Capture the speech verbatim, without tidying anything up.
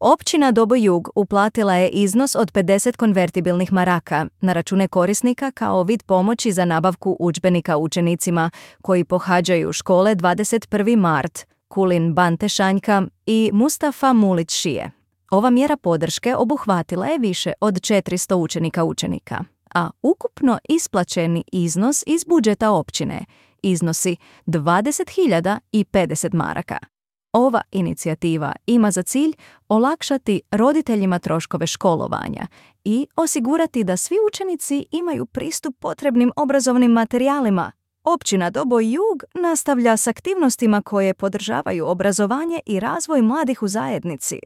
Općina Doboj Jug uplatila je iznos od pedeset konvertibilnih maraka na račune korisnika kao vid pomoći za nabavku udžbenika učenicima koji pohađaju škole dvadeset prvi mart, Kulin Bante Šanjka i Mustafa Mulić Šije. Ova mjera podrške obuhvatila je više od četiristo učenika učenika, a ukupno isplaćeni iznos iz budžeta općine iznosi dvadeset hiljada pedeset maraka. Ova inicijativa ima za cilj olakšati roditeljima troškove školovanja i osigurati da svi učenici imaju pristup potrebnim obrazovnim materijalima. Općina Doboj Jug nastavlja s aktivnostima koje podržavaju obrazovanje i razvoj mladih u zajednici.